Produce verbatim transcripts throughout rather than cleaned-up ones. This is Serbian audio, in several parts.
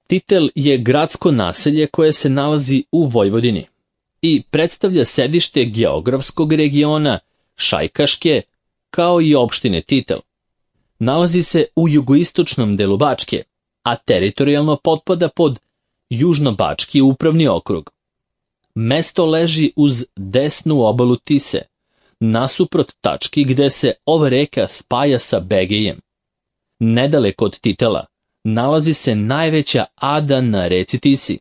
Titel je gradsko naselje koje se nalazi u Vojvodini i predstavlja sedište geografskog regiona Šajkaške kao i opštine Titel. Nalazi se u jugoistočnom delu Bačke, a teritorijalno potpada pod Južno-Bački upravni okrug. Mesto leži uz desnu obalu Tise, nasuprot tački gde se ova reka spaja sa Begejem. Nedaleko od Titela nalazi se najveća ada na reci Tisi,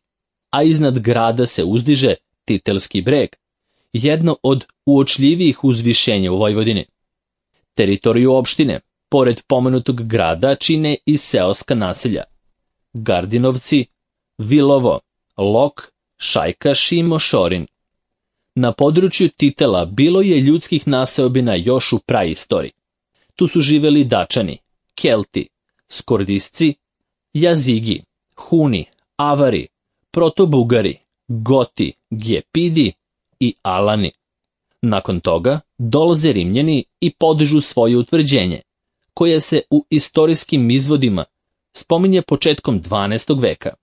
a iznad grada se uzdiže Titelski breg, jedno od uočljivijih uzvišenja u Vojvodini. Teritoriju opštine, pored pomenutog grada, čine i seoska naselja Gardinovci, Vilovo, Lok, Šajkaš i Mošorin. Na području Titela bilo je ljudskih naseobina još u praistoriji. Tu su živeli Dačani, Kelti, Skordisci, Jazigi, Huni, Avari, Protobugari, Goti, Gepidi i Alani. Nakon toga dolaze Rimljani i podižu svoje utvrđenje, koje se u istorijskim izvodima spominje početkom dvanaestog veka.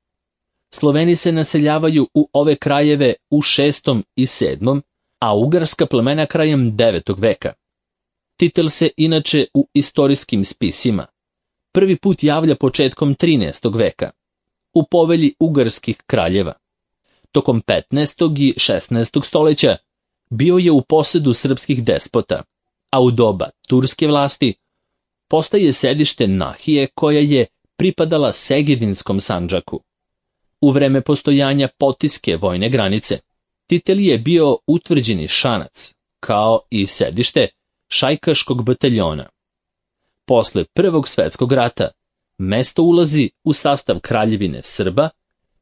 Sloveni se naseljavaju u ove krajeve u šestom i sedmom, a ugarska plemena krajem devetog veka. Titel se inače u istorijskim spisima prvi put javlja početkom trinaestog veka, u povelji ugarskih kraljeva. Tokom petnaestog i šesnaestog stoljeća bio je u posedu srpskih despota, a u doba turske vlasti postaje sedište Nahije koja je pripadala Segedinskom sandžaku. U vreme postojanja Potiske vojne granice, Titel je bio utvrđeni šanac, kao i sedište Šajkaškog bataljona. Posle Prvog svetskog rata, mesto ulazi u sastav kraljevine Srba,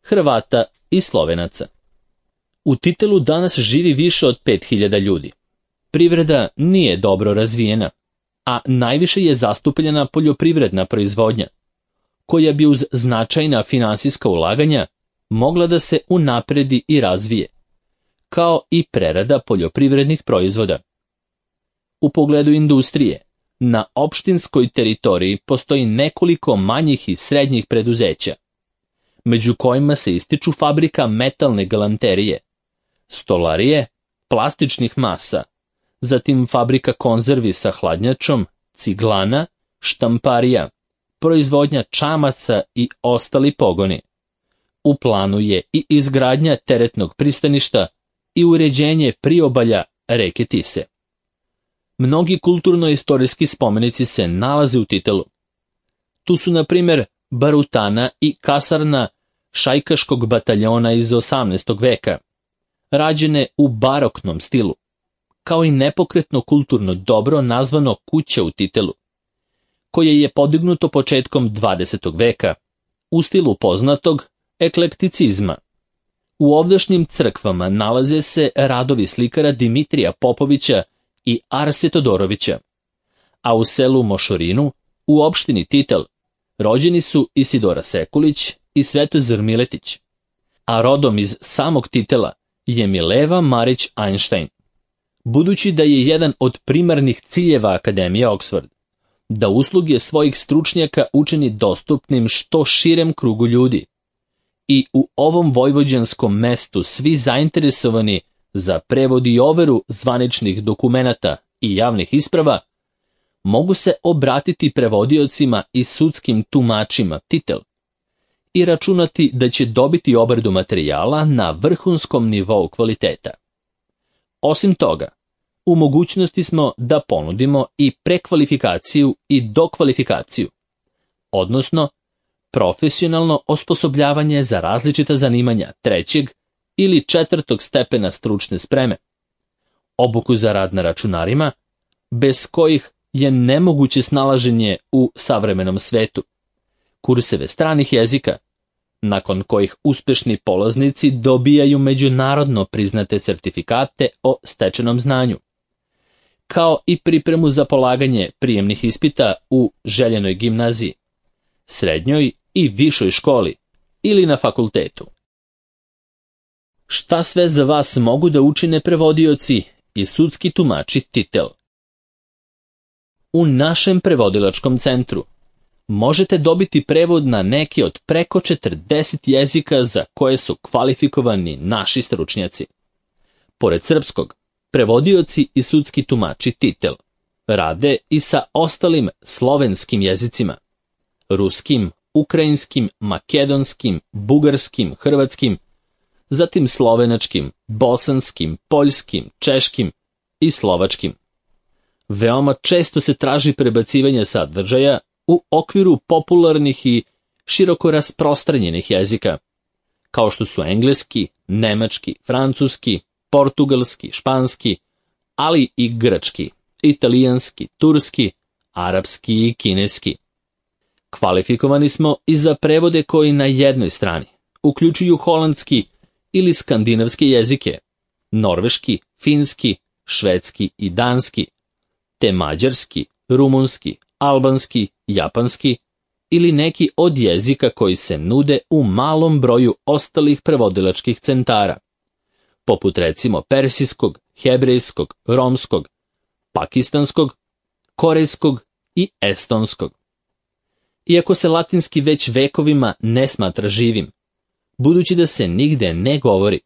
Hrvata i Slovenaca. U Titelu danas živi više od pet hiljada ljudi. Privreda nije dobro razvijena, a najviše je zastupljena poljoprivredna proizvodnja, koja bi uz značajna finansijska ulaganja mogla da se unapredi i razvije, kao i prerada poljoprivrednih proizvoda. U pogledu industrije, na opštinskoj teritoriji postoji nekoliko manjih i srednjih preduzeća, među kojima se ističu fabrika metalne galanterije, stolarije, plastičnih masa, zatim fabrika konzervi sa hladnjačom, ciglana, štamparija, proizvodnja čamaca i ostali pogoni. U planu je i izgradnja teretnog pristaništa i uređenje priobalja reke Tise. Mnogi kulturno-istorijski spomenici se nalaze u Titelu. Tu su, na primjer, barutana i kasarna Šajkaškog bataljona iz osamnaestog veka, rađene u baroknom stilu, kao i nepokretno kulturno dobro nazvano Kuća u Titelu, koje je podignuto početkom dvadesetog veka u stilu poznatog eklekticizma. U ovdašnjim crkvama nalaze se radovi slikara Dimitrija Popovića i Arse Todorovića, a u selu Mošorinu, u opštini Titel, rođeni su Isidora Sekulić i Svetozar Miletić, a rodom iz samog Titela je Mileva Marić Einstein. Budući da je jedan od primarnih ciljeva Akademije Oxford da usluge svojih stručnjaka učini dostupnim što širem krugu ljudi, i u ovom vojvođanskom mestu svi zainteresovani za prevod i overu zvaničnih dokumenata i javnih isprava mogu se obratiti prevodiocima i sudskim tumačima Titel i računati da će dobiti obradu materijala na vrhunskom nivou kvaliteta. Osim toga, u mogućnosti smo da ponudimo i prekvalifikaciju i dokvalifikaciju, odnosno profesionalno osposobljavanje za različita zanimanja trećeg ili četvrtog stepena stručne spreme, obuku za rad na računarima, bez kojih je nemoguće snalaženje u savremenom svetu, kurseve stranih jezika, nakon kojih uspešni polaznici dobijaju međunarodno priznate certifikate o stečenom znanju, kao i pripremu za polaganje prijemnih ispita u željenoj gimnaziji, srednjoj i višoj školi ili na fakultetu. Šta sve za vas mogu da učine prevodioci i sudski tumači Titel? U našem prevodilačkom centru možete dobiti prevod na neki od preko četrdeset jezika za koje su kvalifikovani naši stručnjaci. Pored srpskog, prevodioci i sudski tumači Titel rade i sa ostalim slovenskim jezicima, ruskim, ukrajinskim, makedonskim, bugarskim, hrvatskim, zatim slovenačkim, bosanskim, poljskim, češkim i slovačkim. Veoma često se traži prebacivanje sadržaja u okviru popularnih i široko rasprostranjenih jezika, kao što su engleski, nemački, francuski, portugalski, španski, ali i grčki, italijanski, turski, arapski i kineski. Kvalifikovani smo i za prevode koji na jednoj strani uključuju holandski ili skandinavske jezike, norveški, finski, švedski i danski, te mađarski, rumunski, albanski, japanski ili neki od jezika koji se nude u malom broju ostalih prevodilačkih centara, poput recimo persijskog, hebrejskog, romskog, pakistanskog, korejskog i estonskog. Iako se latinski već vekovima ne smatra živim, budući da se nigde ne govori,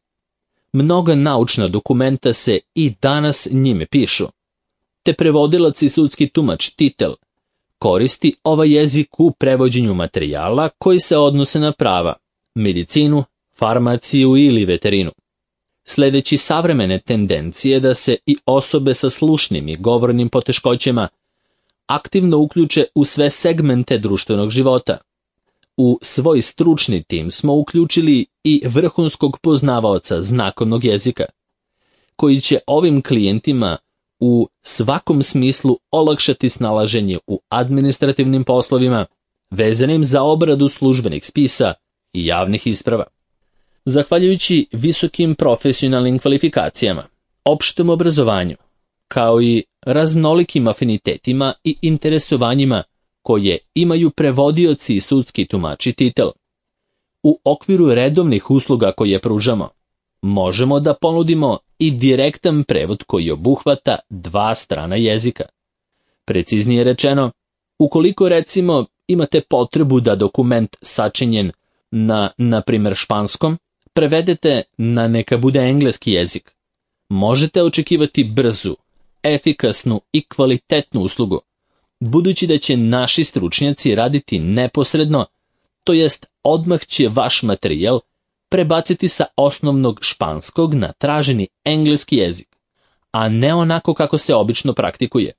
mnoga naučna dokumenta se i danas njime pišu, te prevodilac i sudski tumač Titel koristi ovaj jezik u prevođenju materijala koji se odnose na prava, medicinu, farmaciju ili veterinu. Sledeći savremene tendencije da se i osobe sa slušnim i govornim poteškoćama aktivno uključe u sve segmente društvenog života. U svoj stručni tim smo uključili i vrhunskog poznavaoca znakovnog jezika, koji će ovim klijentima u svakom smislu olakšati snalaženje u administrativnim poslovima vezanim za obradu službenih spisa i javnih isprava. Zahvaljujući visokim profesionalnim kvalifikacijama, opštem obrazovanju, kao i raznolikim afinitetima i interesovanjima koje imaju prevodioci i sudski tumači Titel, u okviru redovnih usluga koje pružamo, možemo da ponudimo i direktan prevod koji obuhvata dva strana jezika. Preciznije rečeno, ukoliko recimo imate potrebu da dokument sačinjen na, na primjer, španskom, prevedete na neka bude engleski jezik, možete očekivati brzu, efikasnu i kvalitetnu uslugu, budući da će naši stručnjaci raditi neposredno, to jest odmah će vaš materijal prebaciti sa osnovnog španskog na traženi engleski jezik, a ne onako kako se obično praktikuje.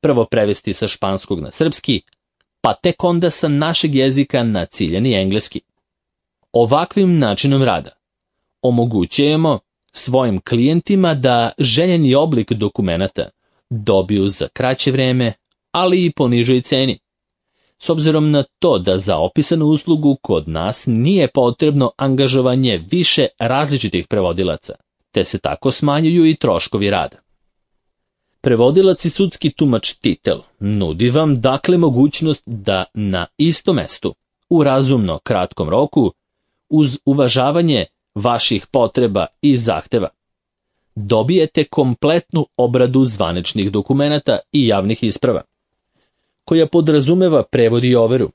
Prvo prevesti sa španskog na srpski, pa tek onda sa našeg jezika na ciljani engleski. Ovakvim načinom rada omogućujemo svojim klijentima da željeni oblik dokumenata dobiju za kraće vreme, ali i po nižoj ceni. S obzirom na to da za opisanu uslugu kod nas nije potrebno angažovanje više različitih prevodilaca, te se tako smanjuju i troškovi rada. Prevodilac i sudski tumač Titel nudi vam dakle mogućnost da na istom mestu, u razumno kratkom roku, uz uvažavanje vaših potreba i zahteva, dobijete kompletnu obradu zvaničnih dokumenata i javnih isprava, koja podrazumeva prevod i overu,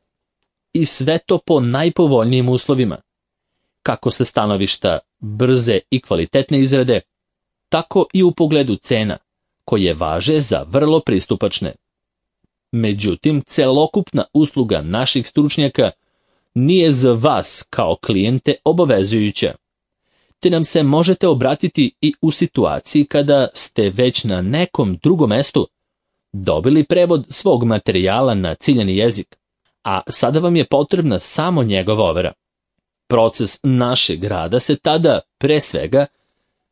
i sve to po najpovoljnijim uslovima, kako sa stanovišta brze i kvalitetne izrade, tako i u pogledu cena, koje važe za vrlo pristupačne. Međutim, celokupna usluga naših stručnjaka nije za vas kao klijente obavezujuća, te nam se možete obratiti i u situaciji kada ste već na nekom drugom mestu dobili prevod svog materijala na ciljani jezik, a sada vam je potrebna samo njegova overa. Proces našeg rada se tada, pre svega,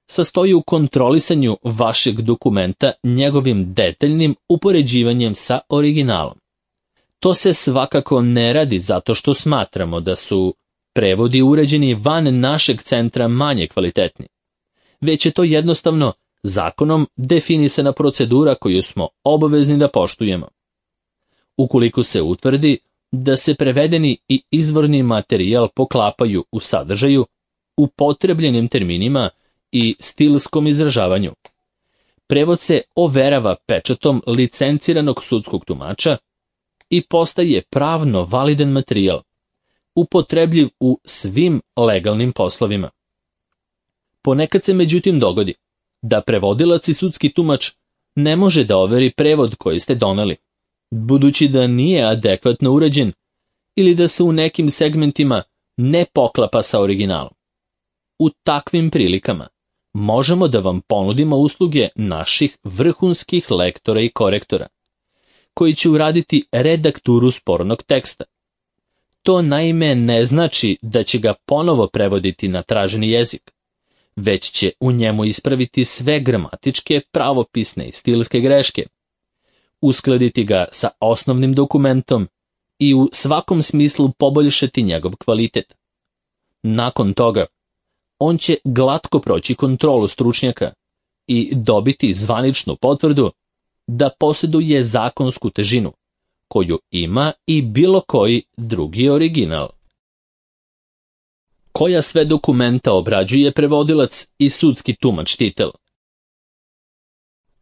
sastoji u kontrolisanju vašeg dokumenta njegovim detaljnim upoređivanjem sa originalom. To se svakako ne radi zato što smatramo da su prevodi uređeni van našeg centra manje kvalitetni, već je to jednostavno zakonom definisana procedura koju smo obavezni da poštujemo. Ukoliko se utvrdi da se prevedeni i izvorni materijal poklapaju u sadržaju, upotrebljenim terminima i stilskom izražavanju, prevod se overava pečatom licenciranog sudskog tumača, i postaje pravno validan materijal, upotrebljiv u svim legalnim poslovima. Ponekad se međutim dogodi da prevodilac i sudski tumač ne može da overi prevod koji ste doneli, budući da nije adekvatno urađen ili da se u nekim segmentima ne poklapa sa originalom. U takvim prilikama možemo da vam ponudimo usluge naših vrhunskih lektora i korektora, koji će uraditi redakturu spornog teksta. To naime ne znači da će ga ponovo prevoditi na traženi jezik, već će u njemu ispraviti sve gramatičke, pravopisne i stilske greške, uskladiti ga sa osnovnim dokumentom i u svakom smislu poboljšati njegov kvalitet. Nakon toga, on će glatko proći kontrolu stručnjaka i dobiti zvaničnu potvrdu da posjeduje zakonsku težinu, koju ima i bilo koji drugi original. Koja sve dokumenta obrađuje prevodilac i sudski tumač titel?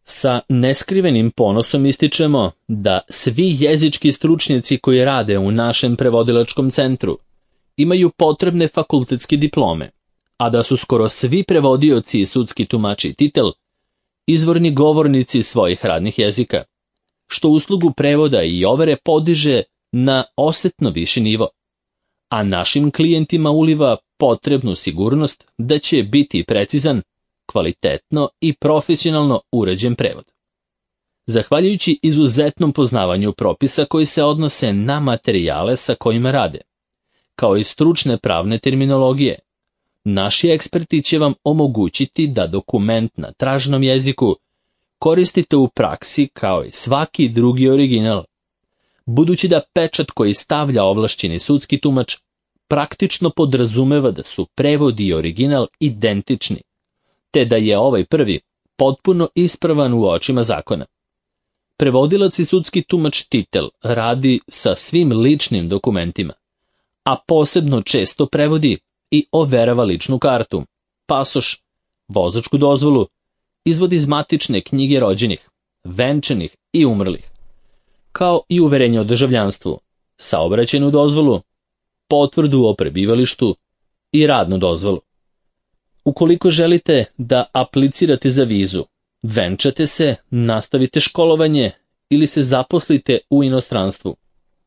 Sa neskrivenim ponosom ističemo da svi jezički stručnjaci koji rade u našem prevodilačkom centru imaju potrebne fakultetske diplome, a da su skoro svi prevodioci i sudski tumači titel izvorni govornici svojih radnih jezika, što uslugu prevoda i overe podiže na osetno viši nivo, a našim klijentima uliva potrebnu sigurnost da će biti precizan, kvalitetno i profesionalno uređen prevod. Zahvaljujući izuzetnom poznavanju propisa koji se odnose na materijale sa kojima rade, kao i stručne pravne terminologije, naši eksperti će vam omogućiti da dokument na traženom jeziku koristite u praksi kao i svaki drugi original, budući da pečat koji stavlja ovlašćeni sudski tumač praktično podrazumeva da su prevod i original identični, te da je ovaj prvi potpuno ispravan u očima zakona. Prevodilac i sudski tumač titel radi sa svim ličnim dokumentima, a posebno često prevodi i overava ličnu kartu, pasoš, vozačku dozvolu, izvod iz matične knjige rođenih, venčanih i umrlih, kao i uverenje o državljanstvu, saobraćajnu dozvolu, potvrdu o prebivalištu i radnu dozvolu. Ukoliko želite da aplicirate za vizu, venčate se, nastavite školovanje ili se zaposlite u inostranstvu,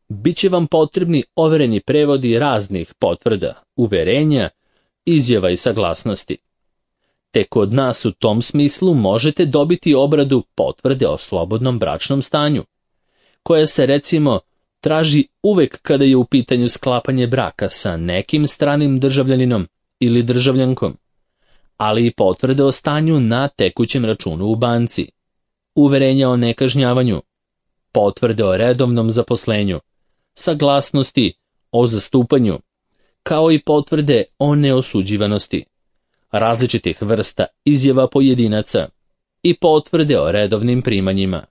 bit će vam potrebni overeni prevodi raznih potvrda, uverenja, izjava i saglasnosti. Te kod nas u tom smislu možete dobiti obradu potvrde o slobodnom bračnom stanju, koja se recimo traži uvek kada je u pitanju sklapanje braka sa nekim stranim državljaninom ili državljankom, ali i potvrde o stanju na tekućem računu u banci, uverenja o nekažnjavanju, potvrde o redovnom zaposlenju, saglasnosti o zastupanju, kao i potvrde o neosuđivanosti, različitih vrsta izjava pojedinaca i potvrde o redovnim primanjima.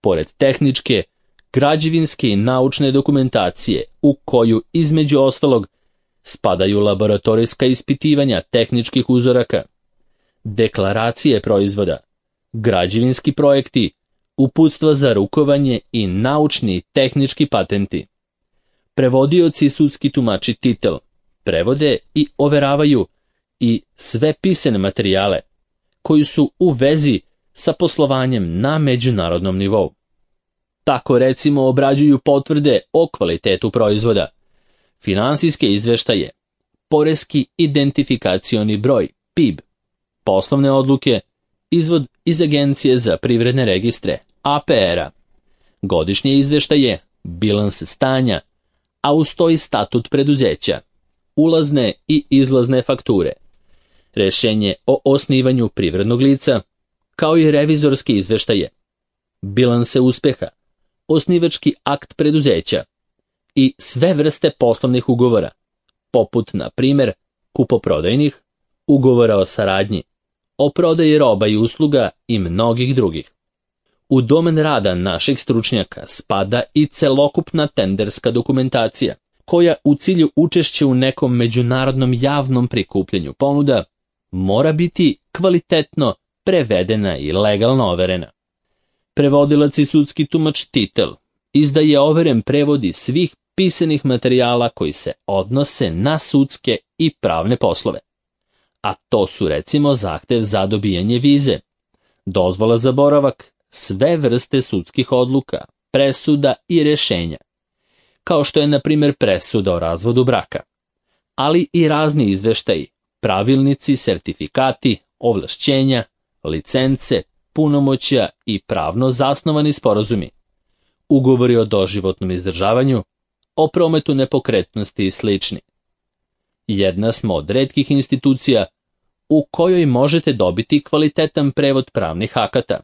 Pored tehničke, građevinske i naučne dokumentacije u koju između ostalog spadaju laboratorijska ispitivanja tehničkih uzoraka, deklaracije proizvoda, građevinski projekti, uputstva za rukovanje i naučni i tehnički patenti. Prevodioci i sudski tumači titel prevode i overavaju i sve pisane materijale koji su u vezi sa poslovanjem na međunarodnom nivou. Tako recimo obrađuju potvrde o kvalitetu proizvoda, finansijske izveštaje, poreski identifikacioni broj P I B, poslovne odluke, izvod iz Agencije za privredne registre A P R-a, godišnje izveštaje, bilanse stanja, a uz to i statut preduzeća, ulazne i izlazne fakture, rešenje o osnivanju privrednog lica, kao i revizorske izveštaje, bilanse uspeha, osnivački akt preduzeća i sve vrste poslovnih ugovora, poput, na primjer, kupoprodajnih, ugovora o saradnji, o prodaji roba i usluga i mnogih drugih. U domen rada naših stručnjaka spada i celokupna tenderska dokumentacija, koja u cilju učešća u nekom međunarodnom javnom prikupljanju ponuda mora biti kvalitetno prevedena i legalno overena. Prevodilac i sudski tumač titel izdaje overen prevodi svih pisanih materijala koji se odnose na sudske i pravne poslove. A to su recimo zahtev za dobijanje vize, dozvola za boravak, sve vrste sudskih odluka, presuda i rješenja, kao što je na primjer presuda o razvodu braka, ali i razni izveštaji, pravilnici, sertifikati, ovlašćenja, licence, punomoćja i pravno zasnovani sporazumi, ugovori o doživotnom izdržavanju, o prometu nepokretnosti i slični. Jedna smo od retkih institucija u kojoj možete dobiti kvalitetan prevod pravnih akata,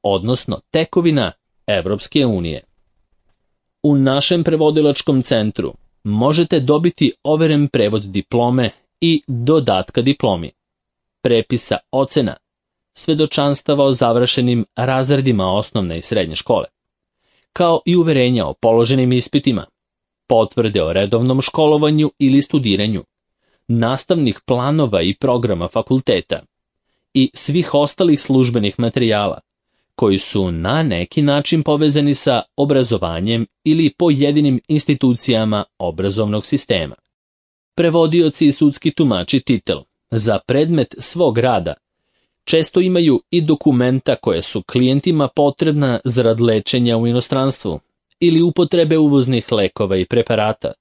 odnosno tekovina Evropske unije. U našem prevodilačkom centru možete dobiti overen prevod diplome i dodatka diplomi, prepisa ocena, svedočanstava o završenim razredima osnovne i srednje škole, kao i uverenja o položenim ispitima, potvrde o redovnom školovanju ili studiranju, nastavnih planova i programa fakulteta i svih ostalih službenih materijala koji su na neki način povezani sa obrazovanjem ili pojedinim institucijama obrazovnog sistema. Prevodioci i sudski tumači titel za predmet svog rada često imaju i dokumenta koje su klijentima potrebna zarad lečenja u inostranstvu ili upotrebe uvoznih lekova i preparata,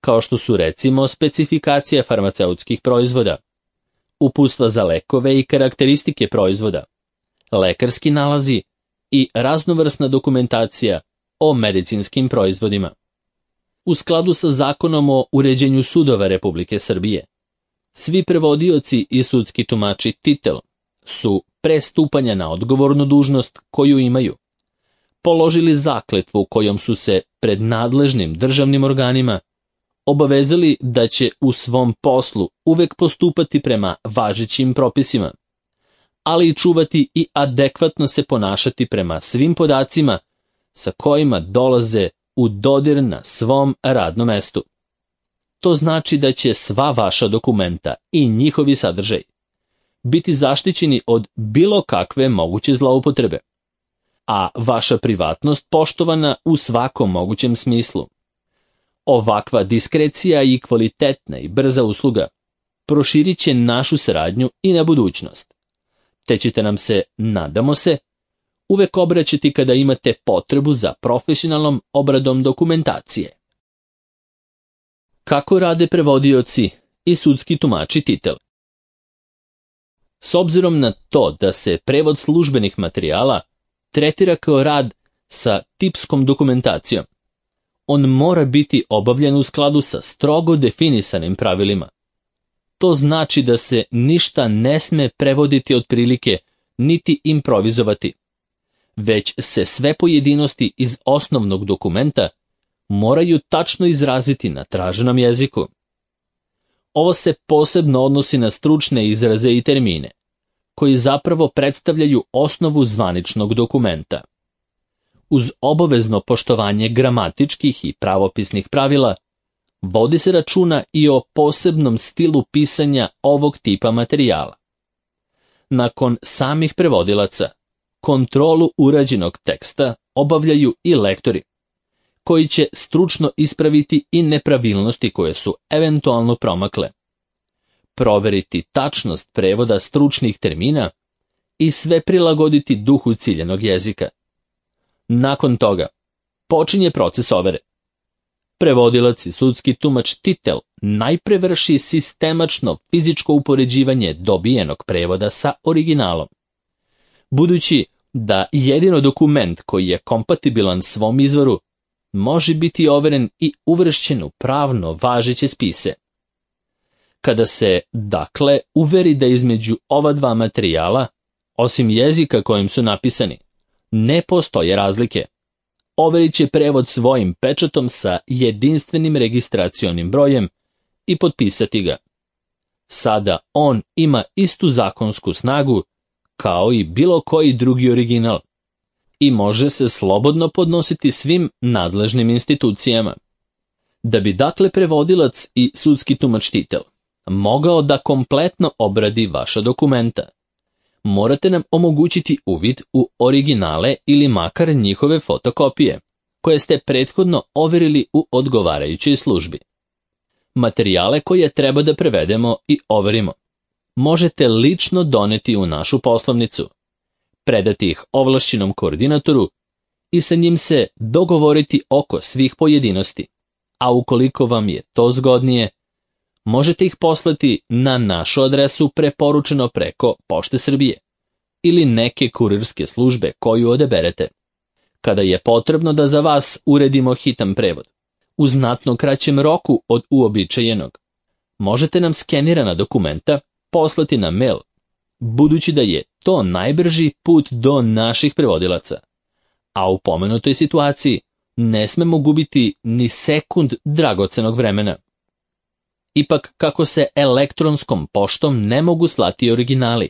kao što su recimo specifikacije farmaceutskih proizvoda, uputstva za lekove i karakteristike proizvoda, lekarski nalazi i raznovrsna dokumentacija o medicinskim proizvodima. U skladu sa Zakonom o uređenju sudova Republike Srbije, svi prevodioci i sudski tumači titel su pre stupanja na odgovornu dužnost koju imaju položili zakletvu kojom su se pred nadležnim državnim organima obavezali da će u svom poslu uvek postupati prema važećim propisima, ali i čuvati i adekvatno se ponašati prema svim podacima sa kojima dolaze u dodir na svom radnom mestu. To znači da će sva vaša dokumenta i njihovi sadržaj biti zaštićeni od bilo kakve moguće zloupotrebe, a vaša privatnost poštovana u svakom mogućem smislu. Ovakva diskrecija i kvalitetna i brza usluga proširit će našu saradnju i na budućnost, te ćete nam se, nadamo se, uvek obraćati kada imate potrebu za profesionalnom obradom dokumentacije. Kako rade prevodioci i sudski tumači titel? S obzirom na to da se prevod službenih materijala tretira kao rad sa tipskom dokumentacijom, on mora biti obavljen u skladu sa strogo definisanim pravilima. To znači da se ništa ne sme prevoditi otprilike niti improvizovati, već se sve pojedinosti iz osnovnog dokumenta moraju tačno izraziti na traženom jeziku. Ovo se posebno odnosi na stručne izraze i termine, koji zapravo predstavljaju osnovu zvaničnog dokumenta. Uz obavezno poštovanje gramatičkih i pravopisnih pravila, vodi se računa i o posebnom stilu pisanja ovog tipa materijala. Nakon samih prevodilaca, kontrolu urađenog teksta obavljaju i lektori, koji će stručno ispraviti i nepravilnosti koje su eventualno promakle, proveriti tačnost prevoda stručnih termina i sve prilagoditi duhu ciljanog jezika. Nakon toga, počinje proces overe. Prevodilac i sudski tumač titel najpre vrši sistemačno fizičko upoređivanje dobijenog prevoda sa originalom. Budući da jedino dokument koji je kompatibilan svom izvoru može biti overen i uvršćen u pravno važeće spise. Kada se, dakle, uveri da između ova dva materijala, osim jezika kojim su napisani, ne postoje razlike, overit će prevod svojim pečatom sa jedinstvenim registracionim brojem i potpisati ga. Sada on ima istu zakonsku snagu kao i bilo koji drugi original i može se slobodno podnositi svim nadležnim institucijama. Da bi dakle prevodilac i sudski tumač titel mogao da kompletno obradi vaša dokumenta, morate nam omogućiti uvid u originale ili makar njihove fotokopije, koje ste prethodno overili u odgovarajućoj službi. Materijale koje treba da prevedemo i overimo možete lično doneti u našu poslovnicu, predati ih ovlašćenom koordinatoru i sa njim se dogovoriti oko svih pojedinosti, a ukoliko vam je to zgodnije, možete ih poslati na našu adresu preporučeno preko Pošte Srbije ili neke kurirske službe koju odaberete. Kada je potrebno da za vas uredimo hitan prevod, u znatno kraćem roku od uobičajenog, možete nam skenirana dokumenta poslati na mail, budući da je to najbrži put do naših prevodilaca, a u pomenutoj situaciji ne smemo gubiti ni sekund dragocenog vremena. Ipak, kako se elektronskom poštom ne mogu slati originali,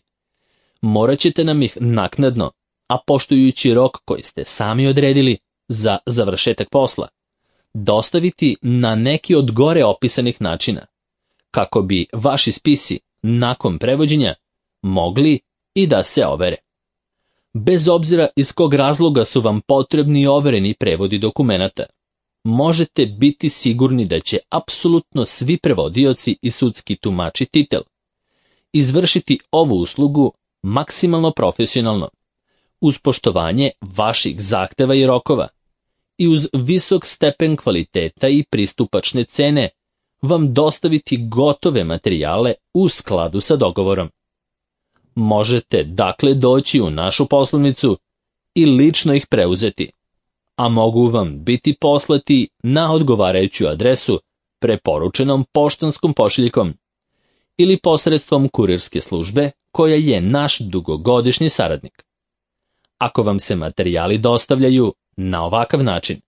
morat ćete nam ih naknadno, a poštujući rok koji ste sami odredili za završetak posla, dostaviti na neki od gore opisanih načina, kako bi vaši spisi nakon prevođenja mogli i da se overe. Bez obzira iz kog razloga su vam potrebni overeni prevodi dokumenata, možete biti sigurni da će apsolutno svi prevodioci i sudski tumači titel izvršiti ovu uslugu maksimalno profesionalno, uz poštovanje vaših zahteva i rokova i uz visok stepen kvaliteta i pristupačne cene vam dostaviti gotove materijale u skladu sa dogovorom. Možete dakle doći u našu poslovnicu i lično ih preuzeti, a mogu vam biti poslati na odgovarajuću adresu preporučenom poštanskom pošiljkom ili posredstvom kurirske službe koja je naš dugogodišnji saradnik. Ako vam se materijali dostavljaju na ovakav način,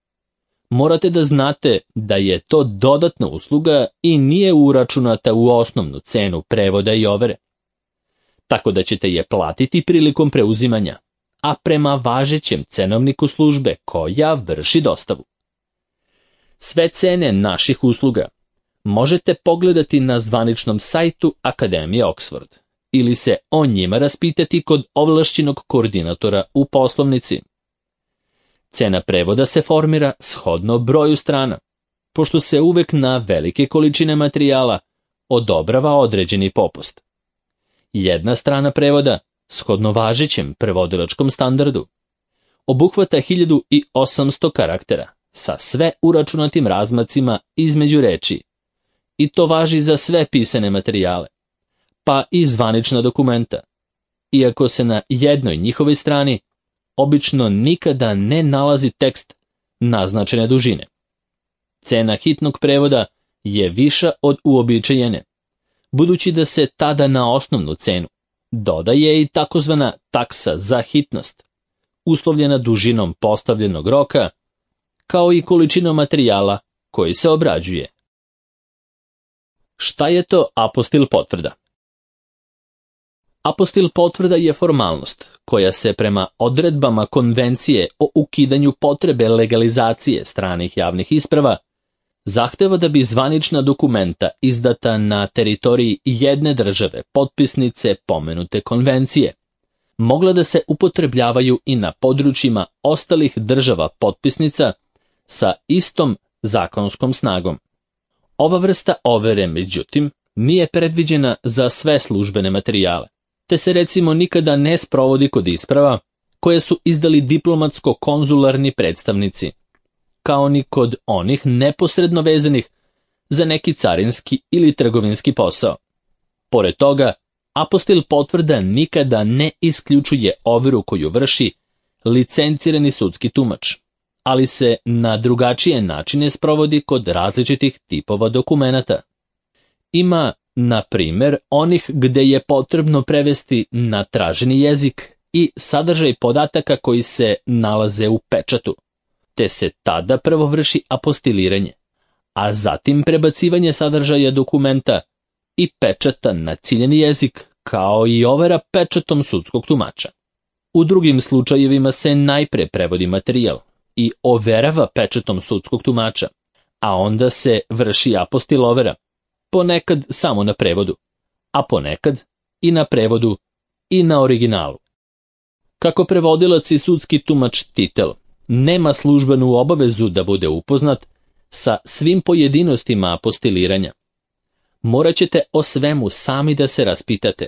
morate da znate da je to dodatna usluga i nije uračunata u osnovnu cenu prevoda i overe, tako da ćete je platiti prilikom preuzimanja, a prema važećem cenovniku službe koja vrši dostavu. Sve cene naših usluga možete pogledati na zvaničnom sajtu Akademije Oxford ili se o njima raspitati kod ovlašćenog koordinatora u poslovnici. Cena prevoda se formira shodno broju strana, pošto se uvek na velike količine materijala odobrava određeni popust. Jedna strana prevoda, shodno važećem prevodilačkom standardu, obuhvata hiljadu osamsto karaktera sa sve uračunatim razmacima između reči, i to važi za sve pisane materijale, pa i zvanična dokumenta, iako se na jednoj njihovoj strani obično nikada ne nalazi tekst naznačene dužine. Cena hitnog prevoda je viša od uobičajene, budući da se tada na osnovnu cenu dodaje i takozvana taksa za hitnost, uslovljena dužinom postavljenog roka, kao i količinom materijala koji se obrađuje. Šta je to apostil potvrda? Apostil potvrda je formalnost koja se prema odredbama Konvencije o ukidanju potrebe legalizacije stranih javnih isprava zahteva da bi zvanična dokumenta izdata na teritoriji jedne države potpisnice pomenute konvencije mogla da se upotrebljavaju i na područjima ostalih država potpisnica sa istom zakonskom snagom. Ova vrsta overe, međutim, nije predviđena za sve službene materijale, te se recimo nikada ne sprovodi kod isprava koje su izdali diplomatsko-konzularni predstavnici, kao ni kod onih neposredno vezanih za neki carinski ili trgovinski posao. Pored toga, apostil potvrda nikada ne isključuje overu koju vrši licencirani sudski tumač, ali se na drugačije načine sprovodi kod različitih tipova dokumenata. Ima, na primjer, onih gde je potrebno prevesti na traženi jezik i sadržaj podataka koji se nalaze u pečatu, te se tada prvo vrši apostiliranje, a zatim prebacivanje sadržaja dokumenta i pečata na ciljeni jezik, kao i overa pečatom sudskog tumača. U drugim slučajevima se najpre prevodi materijal i overava pečatom sudskog tumača, a onda se vrši apostil overa, ponekad samo na prevodu, a ponekad i na prevodu i na originalu. Kako prevodilac i sudski tumač titel nema službenu obavezu da bude upoznat sa svim pojedinostima apostiliranja. Morat ćete o svemu sami da se raspitate,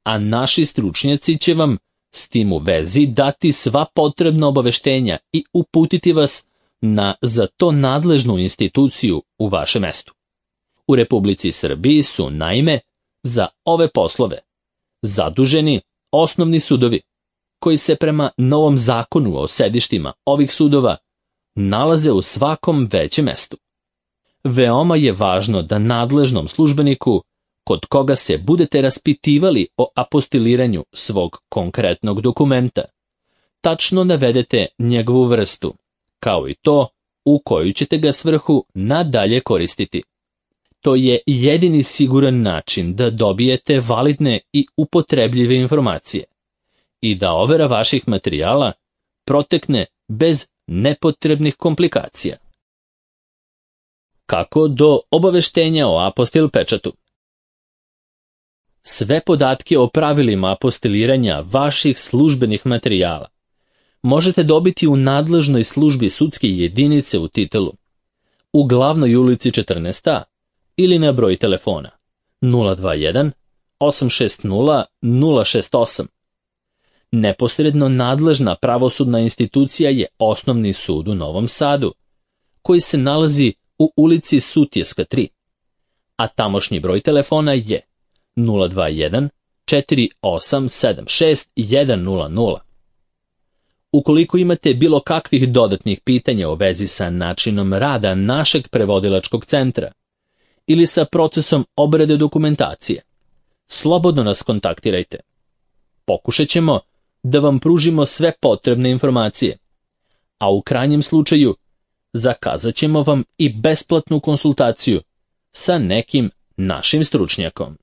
a naši stručnjaci će vam s tim u vezi dati sva potrebna obaveštenja i uputiti vas na za to nadležnu instituciju u vašem mestu. U Republici Srbiji su, naime, za ove poslove zaduženi osnovni sudovi, koji se prema novom zakonu o sedištima ovih sudova nalaze u svakom većem mestu. Veoma je važno da nadležnom službeniku, kod koga se budete raspitivali o apostiliranju svog konkretnog dokumenta, tačno navedete njegovu vrstu, kao i to u koju ćete ga svrhu nadalje koristiti. To je jedini siguran način da dobijete validne i upotrebljive informacije i da overa vaših materijala protekne bez nepotrebnih komplikacija. Kako do obaveštenja o apostil pečatu? Sve podatke o pravilima apostiliranja vaših službenih materijala možete dobiti u nadležnoj službi sudske jedinice u Titelu, u Glavnoj ulici četrnaest A ili na broj telefona nula dva jedan osam šest nula nula šest osam. Neposredno nadležna pravosudna institucija je Osnovni sud u Novom Sadu, koji se nalazi u ulici Sutjeska tri, a tamošnji broj telefona je nula dva jedan četiri osam sedam šest jedan nula nula. Ukoliko imate bilo kakvih dodatnih pitanja u vezi sa načinom rada našeg prevodilačkog centra ili sa procesom obrade dokumentacije, slobodno nas kontaktirajte. Pokušat ćemo da vam pružimo sve potrebne informacije, a u krajnjem slučaju zakazat ćemo vam i besplatnu konsultaciju sa nekim našim stručnjakom.